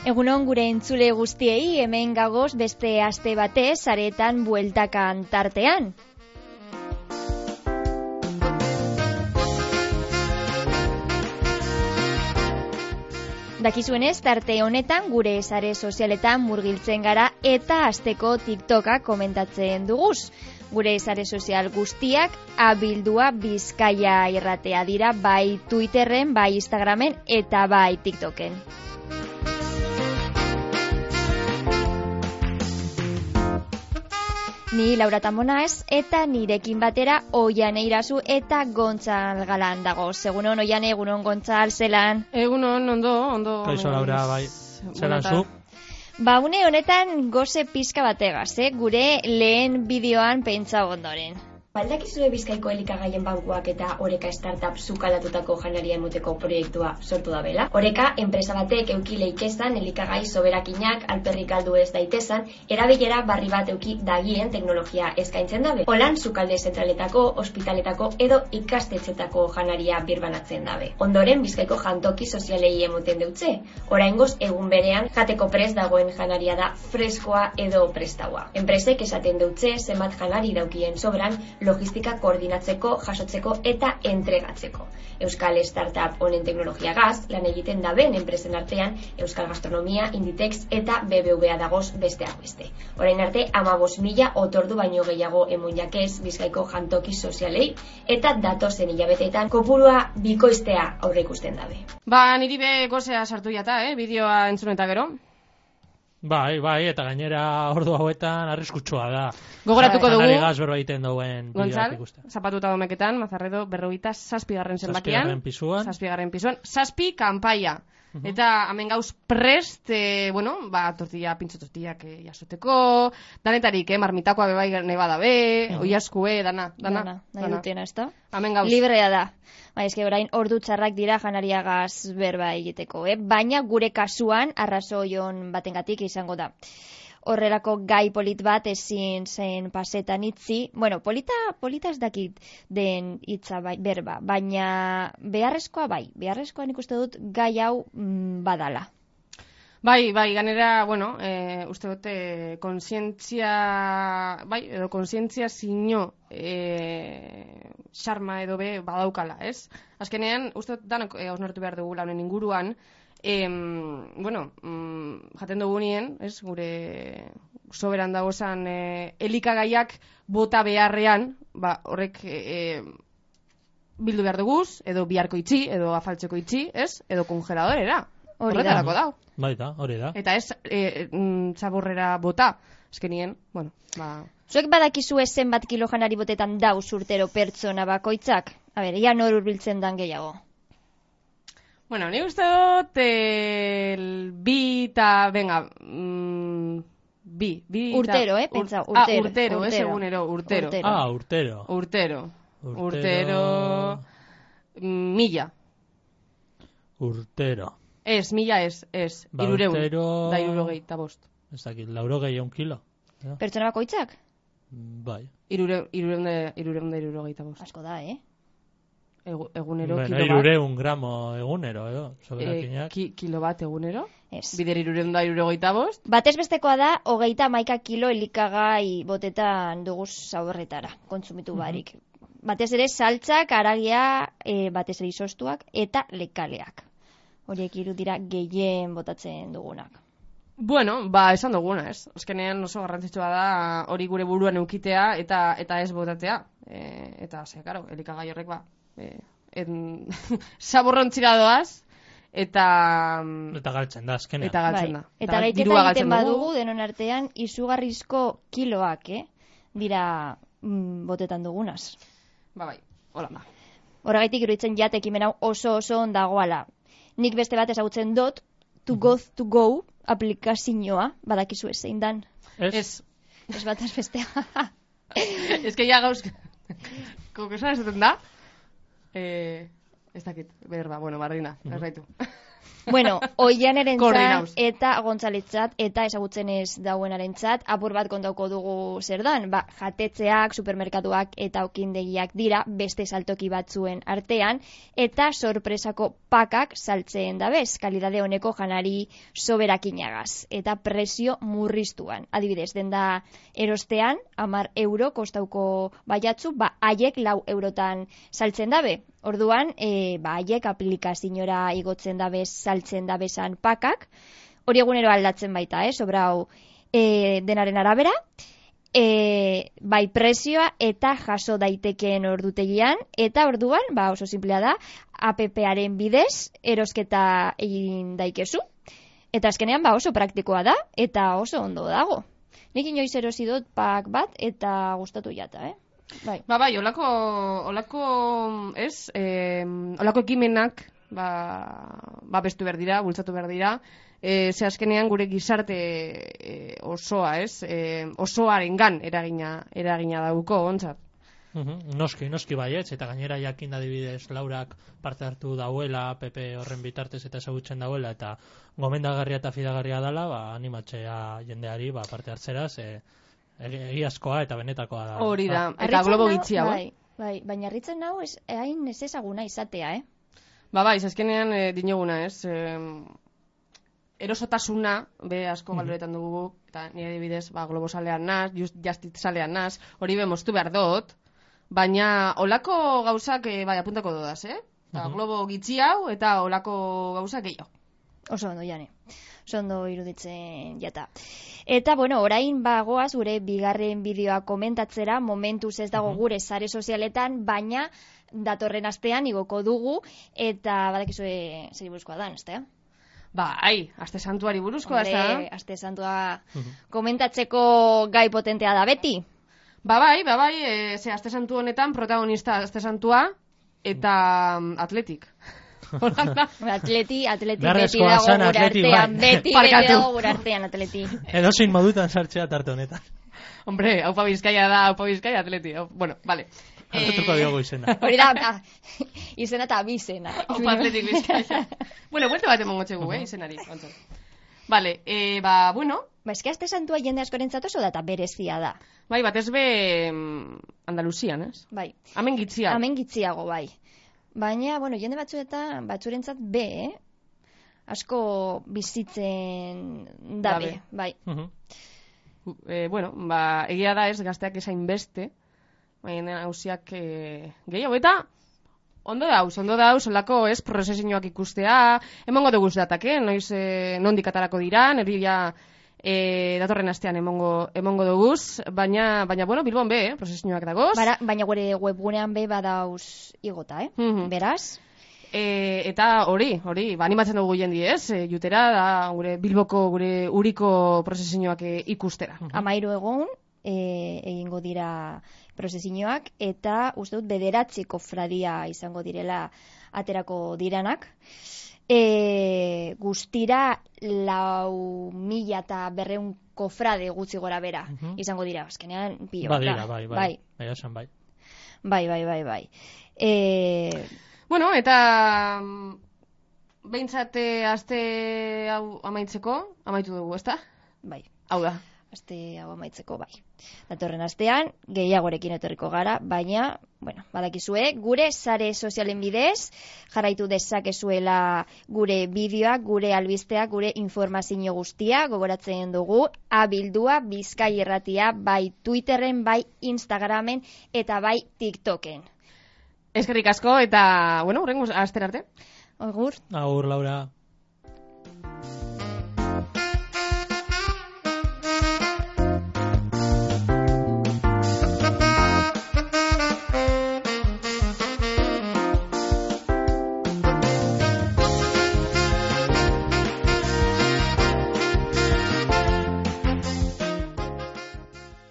Egunon gure entzule guztiei, hemen gagoz beste aste batez saretan bueltakan tartean. Dakizuenez, tarte honetan gure sare sozialetan murgiltzen gara eta asteko TikToka komentatzen duguz. Gure sare sozial guztiak abildua Bizkaia irratea dira, bai Twitterren, bai Instagramen eta bai TikToken. Ni Laura Tamonaz eta nirekin batera Oiane Irazu eta Gontzal Galan dago. Egunon Oiane, egunon Gontzal, zelan? Egunon, ondo. Kaixo Laura, bai. Zelan zu? Ba, une honetan goze pizka bategaz, gure lehen bideoan pentsa ondoren. Baldakizue Bizkaiko elikagaien bankuak eta Oreka startup sukaldatutako janaria emoteko proiektua sortu da bela. Oreka, enpresa batek euki leikezan elikagai soberakinak alperrik galdu ez daitezan, erabilera barri bat euki dagien teknologia eskaintzen dabe. Holan, sukalde zentraletako, ospitaletako edo ikastetxetako janaria birbanatzen dabe. Ondoren, Bizkaiko jantoki sozialei emoten deutze. Oraingoz, egun berean, jateko prest dagoen janaria da freskoa edo prestaua. Enpresek esaten deutze, zenbat janari daukien sobran, logistika koordinatzeko, jasotzeko eta entregatzeko. Euskal Startup honen teknologiagaz lan egiten daben enpresen artean Euskal Gastronomia, Inditex eta BBVA dagoz besteak beste. Orain arte 15.000 otordu baino gehiago emon jakez Bizkaiko jantoki sozialei eta datozen hilabeteetan kopurua bikoiztea aurre ikusten dabe. Ba, niri be gozea sartu jata, bideoa entzun eta gero. Bai, eta gainera ordu hauetan arriskutsua da. Gogoratuko dugu. Janari gaz berba egiten duen Gontzal, zapatuta domeketan, Mazarredo, 47. zenbakian. 7. pisuan. 7 kanpaia. Eta hemen gauz prest, tortilla, pintxo tortillak jasoteko, danetarik, marmitakoa bebai neba dabe, oiaskue, dana. Nahi dutena, ez da? Hemen gauz. Librea da. Ba, eske orain ordu txarrak dira janariagaz berba egiteko, Baina gure kasuan arrazoion batengatik izango da. Horrelako gai polit bat ezin zen pasetan itzi. Bueno, polita ez dakit den hitza berba, baina beharrezkoa nik uste dut gai hau badala. Bai, ganera, uste dute konsientzia zino xarma edo be badaukala, ez? Azkenean, uste dut danok hausnartu behar dugu launen inguruan, jaten dugu nien, ez, gure soberan dagozan elikagaiak bota beharrean, horrek bildu behar duguz, edo biharko itxi, edo afaltzeko itxi, ez, edo kongeladorera. Horretarako dau. Baita, hori da. Eta ez zaborrera bota, eskenien, Zuek badakizu zenbat kilo janari botetan dauz urtero pertsona bakoitzak? A ber, ia nor hurbiltzen dan gehiago? Bueno, ni uste dut bi urtero, pentsa, urtero. Urtero, ez egunero, urtero. Urtero. Urtero. 1000. Urtero. Ez, 1000 ez. 300 Ez dakit, 100 kilo. Pertsona bakoitzak? Bai. 300 Asko da, Egunero, kilo bat. 300 gramo egunero, soberakinak. Kilo bat egunero? Ez. Bider 375? Batez bestekoa da, 31 kilo elikagai botetan duguz zaborretara, kontsumitu barik. Batez ere, saltzak, aragia, batez ere izostuak, eta lekaleak. Horiek hiru dira gehien botatzen dugunak. Bueno, esan duguna, ez? Azkenean oso garrantzitsua da hori gure buruan eukitea eta ez botatea. Eta, karo, elikagai horrek zaborrontzira doaz, eta galtzen da, azkenean. Eta galtzen da. Eta gaiteta egiten badugu, denon artean, izugarrizko kiloak, dira botetan dugunaz. Bai, hola da. Horregaitik iruditzen jatekimen hau oso ondagoala. Nik beste bat ezagutzen dut, to go aplikazioa, badakizu zein dan. Ez. Ez bat bestea. Ez que ya gauz... Kokosan ez duten da? Ez dakit, berba, barrina, ez baitu. Bueno, Oianerentzat eta Gontzaletzat eta ezagutzen ez dauenarentzat apur bat kontauko dugu zer dan. Jatetzeak, supermerkatuak eta okindegiak dira beste saltoki batzuen artean eta sorpresako pakak saltzen dabez, kalidade honeko janari soberakinagaz eta presio murriztuan. Adibidez, denda erostean 10 euro kostauko baiatzu, haiek 4 eurotan saltzen dabe. Orduan, haiek aplikaziora igotzen dabez saltzen dabezan pakak, hori egunero aldatzen baita, sobrau denaren arabera, bai prezioa eta jaso daitekeen ordutegian, eta orduan, oso simplea da, app-aren bidez erosketa egin daikezu. Eta azkenean, oso praktikoa da, eta oso ondo dago. Nik inoiz erosi dut pak bat, eta gustatu jata, Bai, olako ekimenak bestu behar dira, bultzatu behar dira, ze azkenean gure gizarte osoa, osoarengan eragina dauko, ontzat. Noski baietz, eta gainera jakin adibidez Laurak parte hartu dauela, PP horren bitartez eta ezagutzen dauela, eta gomendagarria eta fidagarria dela, animatzea jendeari parte hartzeraz, egiazkoa eta benetakoa da. Hori da, eta globo gitxia, Bai, baina harritzen nau hain ez ezaguna izatea, azkenean dinoguna, erosotasuna, asko galoretan dugu, eta nire adibidez, globo salean naz, justit salean naz, hori moztu behar dut, baina olako gauzak, apuntako dodaz, globo gitxi hau, eta olako gauzak gehiago. Oso ondo, Jane. Oso ondo iruditzen jata. Eta, orain goaz gure bigarren bideoa komentatzera, momentuz ez dago gure sare sozialetan, baina datorren astean igoko dugu, eta badakizue zer buruzkoa da, ezta? Aste santuari buruzkoa, ez da? Aste santua komentatzeko gai potentea da beti. Ze aste santu honetan protagonista aste santua eta atletik. Atleti beti dago gure artean, atleti. Edozein modutan sartzea tarte honetan. Hombre, Aupa Bizkaia da, Aupa Bizkaia atleti. Bueno, vale. Arratuko diogu izena. Hori da, izena eta abizena. Aupa Atletik Bizkaia. Bueno, buelte bat emongo txegu, izenari. Vale, eske aste santua jende askorentzat oso da eta berezia da. Batez be Andaluzian, ez? Bai. Hemen gitziago, bai. Baina, jende batzurentzat asko bizitzen dabe, bai. Egia da ez gazteak esain beste, baina hausiak gehiago, eta ondo dauz, olako prozesioak ikustea, emongo dugu datake, noiz nondik atarako dira, nerria datorren astean emongo duguz, baina Bilbon prozesioak dagoz. Baina gure webgunean badauz igota, beraz? Eta hori, animatzen dugu jendi jutera, da gure Bilboko, gure uriko prozesioak ikustera. 13 egun egingo dira prozesioak, eta uste dut 9 kofradia izango direla aterako diranak. Guztira 4.200 kofrade gutxi gora bera izango dira, azkenean pilo. Bai. Eta behintzat aste hau amaitu dugu, ezta? Bai. Hau da. Aste hau amaitzeko, bai. Datorren astean, gehiagorekin etorriko gara, baina, badakizue, gure sare sozialen bidez, jarraitu dezakezuela gure bideoak, gure albisteak, gure informazio guztia, gogoratzen dugu, abildua Bizkai Irratia, bai Twitterren, bai Instagramen, eta bai TikToken. Eskerrik asko, eta, hurrengo astera arte. Agur. Agur, Laura.